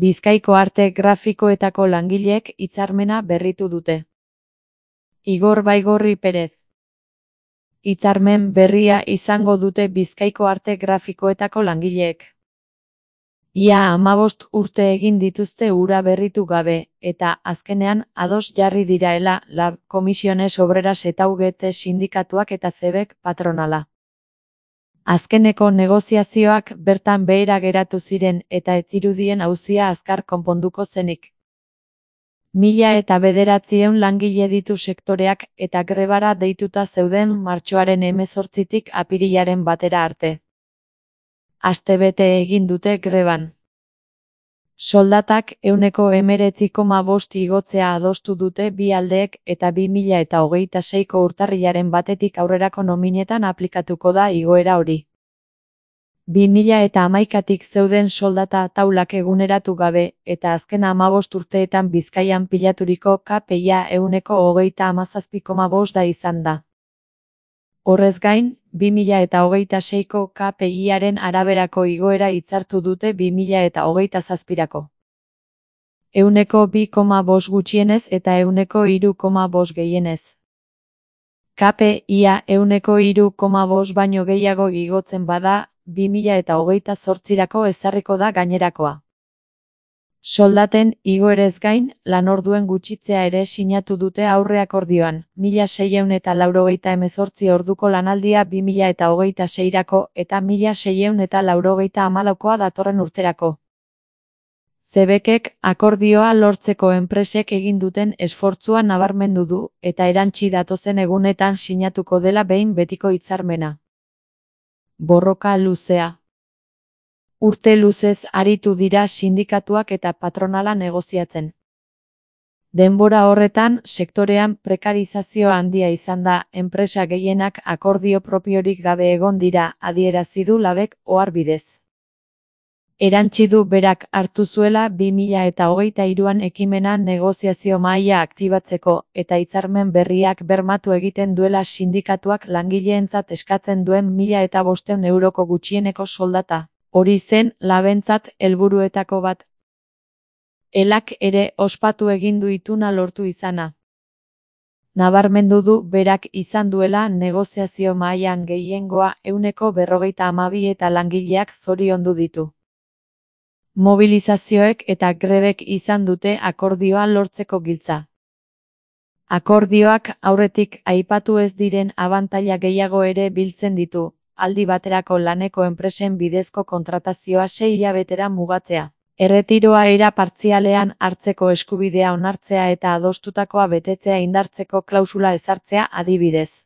Bizkaiko arte grafikoetako langileek hitzarmena berritu dute. Igor Baigorri Perez. Hitzarmen berria izango dute Bizkaiko arte grafikoetako langileek. Ia 15 urte egin dituzte hura berritu gabe, eta azkenean ados jarri diraela Lab Comisiones Obreras eta UGT sindikatuak eta CEBek patronala. Azkeneko negoziazioak bertan behera geratu ziren eta ez zirudien auzia azkar konponduko zenik. 1900 langile ditu sektoreak eta grebara deituta zeuden martxoaren 18tik apirilaren 1 arte. Astebete egin dute greban. Soldatak 19,5% igotzea adostu dute bi aldeek eta 2026ko urtarrilaren 1tik aurrerako nominetan aplikatuko da igoera hori. 2011tik zeuden soldata taulak eguneratu gabe eta azken 15 urteetan Bizkaian pilaturiko KPIa 37,5 da izan da. Horrez gain, 2026ko KPIaren araberako igoera hitzartu dute 2027rako. 2,5 gutxienez eta 3,5 gehienez. KPIa 3,5 baino gehiago igotzen bada, 2028rako ezarriko da gainerakoa. Soldaten igoerez gain, lanorduen gutxitzea ere sinatu dute aurreakordioan, 1688 orduko lanaldia 2026rako eta 1684koa datorren urterako. CEBekek akordioa lortzeko enpresek egin duten esfortzua nabarmendu du eta erantsi datozen egunetan sinatuko dela behin betiko hitzarmena. Borroka luzea. Urte luzez aritu dira sindikatuak eta patronala negoziatzen. Denbora horretan, sektorean prekarizazio handia izan da, enpresa gehienak akordio propiorik gabe egon dira, adierazi du Labek ohar bidez. Erantsi du berak hartu zuela 2023an ekimena negoziazio mahaia aktibatzeko eta hitzarmen berriak bermatu egiten duela sindikatuak langileentzat eskatzen duen 1500 euroko gutxieneko soldata. Hori zen Labentzat helburuetako bat. Elak ere ospatu egin du ituna lortu izana. Nabarmendu du berak izan duela negoziazio mahaian gehiengoa 152 eta langileak zoriondu ditu. Mobilizazioek eta grebek izan dute akordioa lortzeko giltza. Akordioak aurretik aipatu ez diren abantaila gehiago ere biltzen ditu. Aldi baterako laneko enpresen bidezko kontratazioa 6 hilabetera mugatzea. Erretiroa era partzialean hartzeko eskubidea onartzea eta adostutakoa betetzea indartzeko klausula ezartzea adibidez.